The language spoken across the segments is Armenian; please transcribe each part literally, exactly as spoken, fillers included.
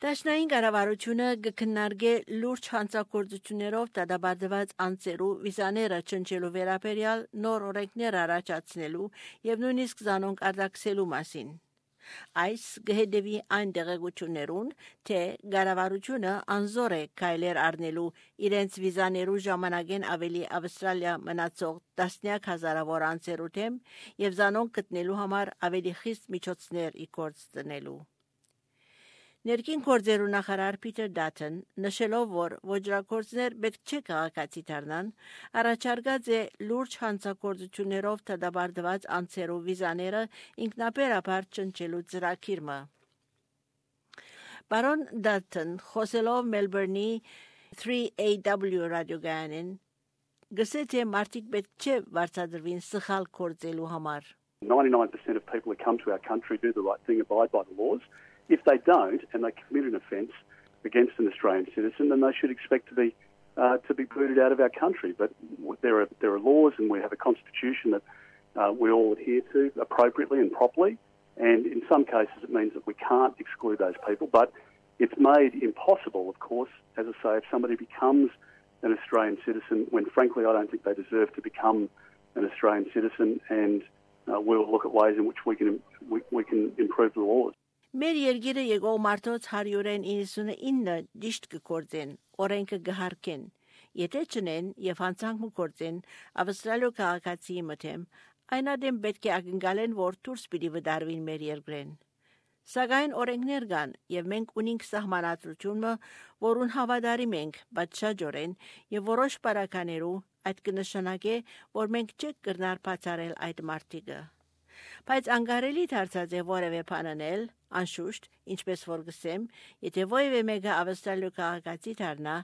Դաշնային կառավարությունը կքննարկի լուրջ հանցագործություններով դատապարտված անձերու վիզաները չնչելու վերաբերյալ նոր օրենքներ առաջացնելու եւ նույնիսկ զանոնք արտաքսելու մասին։ Այս գհեդեվի այն դեղեցություններուն, թե կառավարությունը անզոր է քայլեր առնելու իրենց վիզաներու ժամանակեն ավելի Ավստրալիա մնացող տասնյակ հազարավոր անձերու դեմ եւ զանոնք գտնելու համար ավելի խիստ միջոցներ իգործ դնելու։ Ներքին գործերու նախարար Փիթեր Դաթոն նշելով, որ ոչրագործներ պետք չէ քաղաքացի դառնան, առաջարկած է լուրջ հանցագործություններով դատապարտված անձերու վիզաները ինքնաբերաբար չնչելու ծրագիրը։ Բարոն Դաթոն խոսելով Մելբուրնի three A W ռադիոգայանին գսե թե մարդիկ պետք չէ վարձատրվին սխալ գործելու համար։ ninety-nine percent of people who come to our country do the right thing, abide by the laws. If they don't, and they commit an offence against an Australian citizen, then they should expect to be uh, to be booted out of our country. But there are there are laws, and we have a constitution that uh, we all adhere to appropriately and properly. And in some cases, it means that we can't exclude those people. But it's made impossible, of course, as I say, if somebody becomes an Australian citizen, when frankly I don't think they deserve to become an Australian citizen. And uh, we'll look at ways in which we can we, we can improve the laws. Մեր երկիրը եկող մարդոց հարյուրեն իննսունինը դիշտ կգործեն, օրենքը գհարկեն, եթե չնեն եւ հանցանք մգործեն Ավստրալիա քաղաքացիի մտեմ, այն ադեմ պետք է ակնկալեն, որ դուրս պիտի վդարվին մեր երկրեն։ Սակայն օրենքներ կան եւ մենք ունենք սահմանադրությունը, որուն հավատարիմ ենք, բայց շաջորեն եւ որոշ բարականերու այդ կնշանակե, որ մենք չենք կրնար բացառել այդ մարտիկը։ Բայց անկարելի դարձած է որևէ բան անել, անշուշտ, ինչպես որ գսեմ, եթե որևէ մեկը Ավստրալիա քաղաքացի դառնա,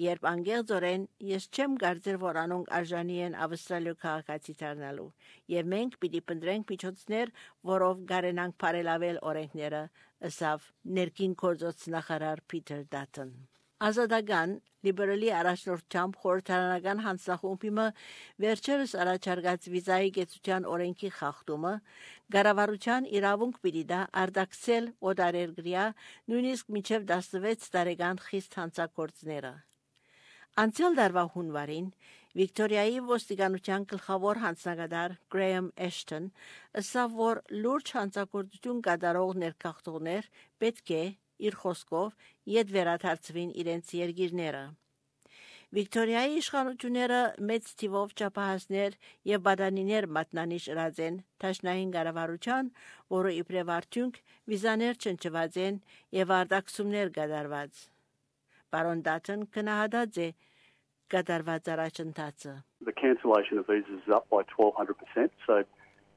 երբ անգեղծորեն ես չեմ կարծեր, որ անոնք արժանի են Ավստրալիա քաղաքացի դառնալու, եւ մենք պիտի փնտրենք միջոցներ, որով կարենանք բարելավել օրենքները, ըսավ ներքին գործոց նախարար Փիթեր Դաթոն։ Ազատական լիբերալի առաջնորդությամբ խորհրդարանական հանձնախումբը վերջերս առաջարկած վիզայի գեցության օրենքի խախտումը կառավարության իրավունք պիտի դա արտաքսել օտարերկրյա նույնիսկ մինչև տասնվեց տարեկան խիստ հանցագործները։ Անցյալ տարվա հունվարին Վիկտորիայի ոստիկանության գլխավոր հանձնագետար Գրեյեմ Էշթոն ասավ, որ լուրջ հանցագործություն կատարող ներքախտողներ պետք է իր խոսքով իդ վերադարձվին իրենց երկիրները։ Վիկտորիայի իշխանությունները մեծ թիվով չափահասներ եւ բադանիներ մատնանիշ ըրած են Դաշնային կառավարության, որը իբրև արդյունք վիզաներ չնչված են եւ արտաքսումներ կատարված։ Բարոն Դաթոն կնահատած է կատարված առաջընթացը։ The cancellation of visas is up by twelve hundred percent, so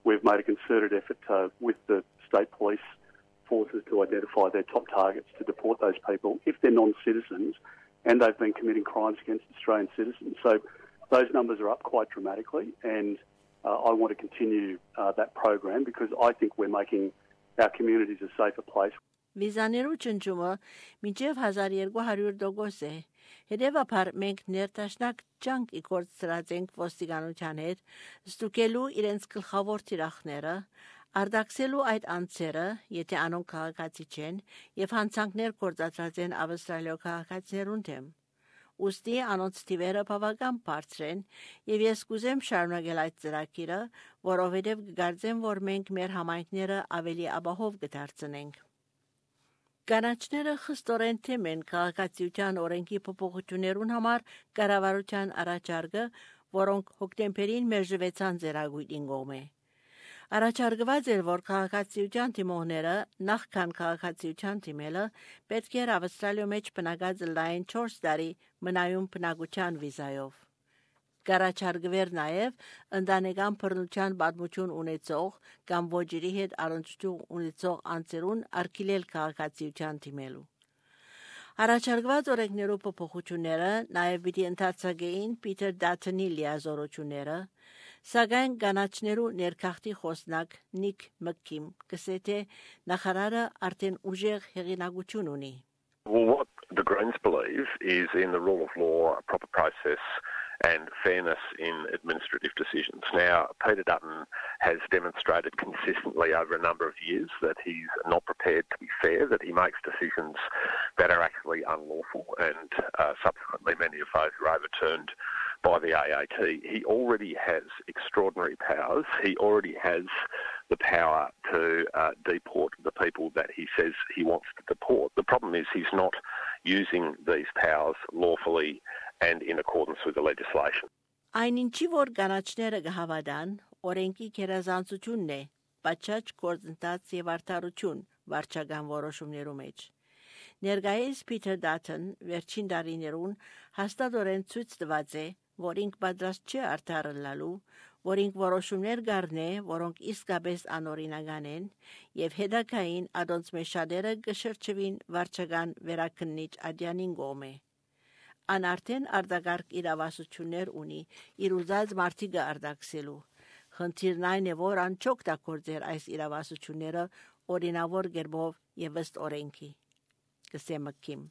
we've made a concerted effort to, with the state police forces to identify their top targets to deport those people if they're non-citizens and they've been committing crimes against Australian citizens. So those numbers are up quite dramatically, and uh, I want to continue uh, that program because I think we're making our communities a safer place. Վիզաներու ճնճումը մինչև հազար երկու հարյուր տոկոս է։ Հետևաբար մենք ներդաշնակ ջանք իգործած ենք ոստիկանության հետ, ստուգելու իրենց գլխավոր թիրախները, արտաքսելու այդ անձերը, եթե անոնք քաղաքացի չեն, եւ հանցանքներ գործածած են Ավստրալիա քաղաքացիներուն դեմ։ Ոստի անոնց թիվերը բավական բարձր են, եւ ես կուզեմ շարունակել այդ ծրագիրը, որովհետեւ կգարձեմ, որ մենք մեր համայնքները ավելի ապահով կդարձնենք։ Կանաչները խստորեն թեմ են քաղաքացիության օրենքի փոփոխություններուն համար կառավարության առաջարկը, որոնք հոկտեմբերին մերժվեցան ձեռագույտին կողմէ։ Առաջարկված էր, որ քաղաքացիության թիմողները նախքան քաղաքացիության թիմելը պետք էր Ավստրալիա մեջ բնակած լայն չորս տարի մնայուն բնակության վիզայով։ Կառաջարկվեր նաև ընտանեկան բռնության պատմություն ունեցող կամ ոչերի հետ առնչություն ունեցող անձերուն արգելել քաղաքացիության թիմելու։ Առաջարկված օրենքներու փոփոխությունները նաև պիտի ընդարձակեին Փիթեր Դաթոնի լիազորությունները, սակայն կանաչներու ներքախտի խոսնակ Նիկ Մքիմ կսե թե նախարարը արդեն ուժեղ հեղինակություն ունի։ Well, what the Greens believe is in the rule of law, a proper process and fairness in administrative decisions. Now, Peter Dutton has demonstrated consistently over a number of years that he's not prepared to be fair, that he makes decisions that are actually unlawful, and uh, subsequently many of those were overturned by the A A T. He already has extraordinary powers. He already has the power to uh, deport the people that he says he wants to deport. The problem is he's not using these powers lawfully and in accordance with the legislation. Այնինչի որ կանաչները կհավատան, օրենքի գերազանցությունն է, պատշաճ գործընթաց եւ արդարություն վարչական որոշումներու մեջ։ Ներկայիս Փիթեր Դաթն վերջին տարիներուն հաստատորեն ցույց տված է, որ ինք պատրաստ չէ արդարելալու, որ ինք որոշումներ գարնե, որոնք իսկապես անօրինական են եւ հետագային ադոնց մեջ շատերը կշրջվին վարչական վերաքննիչ ադյանին գոմե։ Ան արդեն արդագարգ իրավասություններ ունի իր ուզած մարդիկը արդակսելու։ Խնդիրն այն է, որ ան չօգտագործեր այս իրավասությունները օրինավոր գերբով եւ ըստ օրենքի։ Կսեմքիմ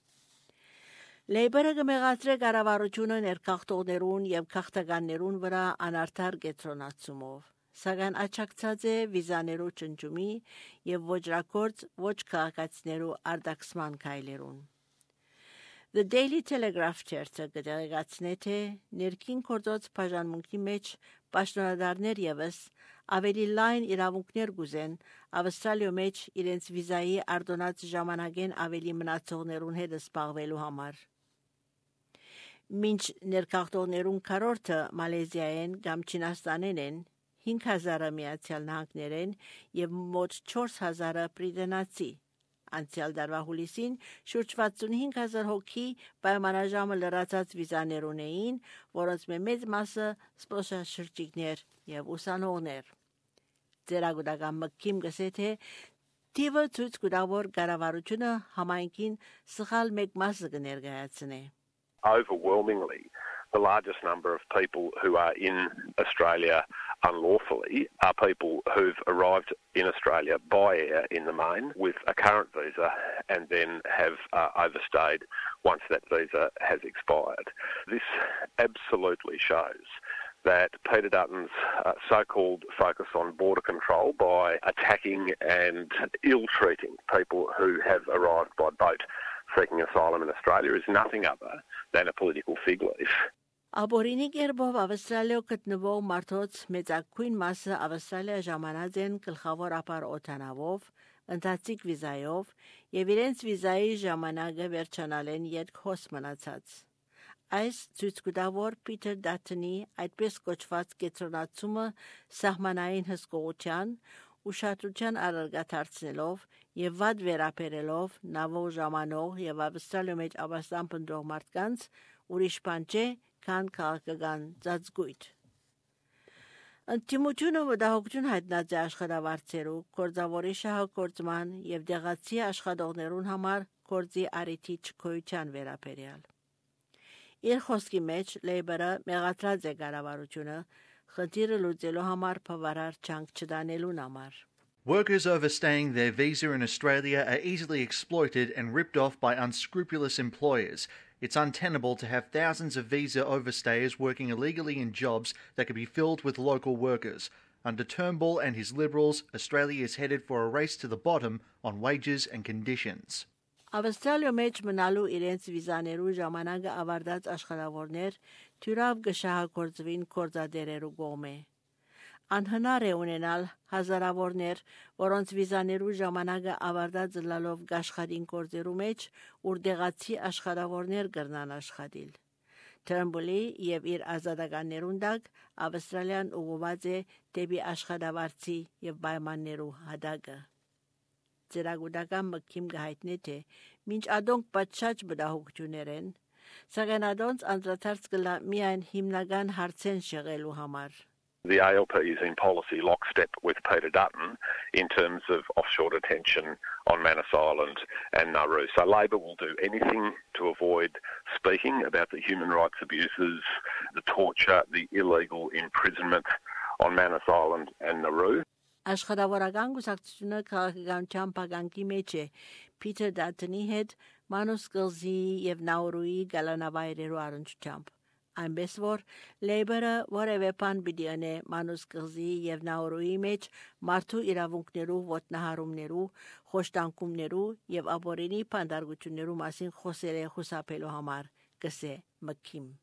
Լեյբերը կմեղացրե կառավարությունը ներքախտողներուն եւ քաղաքականներուն վրա անարդար կետրոնացումով, սակայն աչակցած է վիզաներու ճնջումի եւ ոչրակորձ ոչ քաղաքացիներու արդակսման քայլերուն։ The Daily Telegraph թերթը կտեղեկացնե, թե ներքին գործոց բաժանմունքի մեջ պաշտոնատարներ եւս ավելի լայն իրավունքներ գուզեն Ավստրալիո մեջ իրենց վիզայի արդոնած ժամանակեն ավելի մնացողներուն հետ զբաղվելու համար։ Մինչ ներքախտողներուն քառորդը Մալեզիայեն կամ Չինաստանեն են, հինգ հազարը Միացյալ Նահանգներեն եւ մոտ չորս հազարը բրիտանացի։ Անցյալ տարվա հուլիսին շուրջ վաթսունհինգ հազար հոգի պայմանաժամը լրացած վիզաներ ունեին, որոնց մեծ մասը զբոսաշրջիկներ եւ ուսանողներ։ Ձերագուտական մկիմ գսե թե տիվը ցույց կտա, որ կառավարությունը համայնքին սխալ մեկ մասը կներկայացնե։ Overwhelmingly, the largest number of people who are in Australia unlawfully are people who've arrived in Australia by air in the main with a current visa and then have uh, overstayed once that visa has expired. This absolutely shows that Peter Dutton's uh, so-called focus on border control by attacking and ill-treating people who have arrived by boat seeking asylum in Australia is nothing other than a political fig leaf. Աբորինի կերպով Ավստրալիա գտնվող մարդոց մեծակույն մասը Ավստրալիա ժամանած են գլխավոր ապար օտանավով, ընթացիկ վիզայով եւ իրենց վիզայի ժամանակը վերջանալեն յետք հոս մնացած։ Այս ցույց կտա, որ Փիթեր Դաթնի այդպես կոչված կետրոնացումը սահմանային հսկողության, ուշադրության առարգաթարցնելով եւ վատ վերապերելով նավով ժամանող եւ Ավստրալիա մեջ ապաստան փնտրող մարդկանց ուրիշ բան չէ, քան քաղաքական ծածկույթ։ Ընտիմությունը վտահողջուն հայտնած է աշխատավարձերու, գործավորի շահագործման եւ դեղացի աշխատողներուն համար գործի առիթի չկոյության վերաբերյալ։ Իր խոսքի մեջ Լեյբերը մեղադրած է կառավարությունը խնդիրը լուծելու համար բավարար ջանք չդանելուն համար։ Workers overstaying their visa in Australia are easily exploited and ripped off by unscrupulous employers. It's untenable to have thousands of visa overstayers working illegally in jobs that could be filled with local workers. Under Turnbull and his Liberals, Australia is headed for a race to the bottom on wages and conditions. Ավստրալիա մեջ մնալու իրենց վիզաներու ժամանակը ավարտած աշխատավորներ թյուրավ կշահագործվին գործադերերու կողմէ։ Անհնար է ունենալ հազարավորներ, որոնց վիզաներու ժամանակը ավարտած լալով աշխատին գործերու մեջ, ուր դեղացի աշխատավորներ կրնան աշխատիլ։ Turnbull-ի եւ իր ազատականներուն դակ Ավստրալիան ուղղված է դեպի աշխատավարձի եւ պայմաններու հադագը։ Ձերագուտական մկիմ գահիտնի թե մինչ ադոնք պատշաճ բդահոգություններ են, սակայն ադոնց անդրադարձ կլա միայն հիմնական հարցեն շեղելու համար։ The A L P is in policy lockstep with Peter Dutton in terms of offshore detention on Manus Island and Nauru. So Labor will do anything to avoid speaking about the human rights abuses, the torture, the illegal imprisonment on Manus Island and Nauru. Աշխատավորական գուսակցությունը քաղաքականության փականքի մեջ է Փիթեր Դաթնի հետ Մանուս կղզի եւ Նաուրուի գալանավայրերու առնչությամբ։ Այնպես որ Լեյբորը որևէ բան պիտի անե Մանուս կղզի եւ Նաուրուի մեջ մարդու իրավունքներու ոտնահարումներու, խոշտանգումներու եւ ապօրինի բանդարգություններու մասին խոսել է խուսափելու համար, կսե Մքիմ։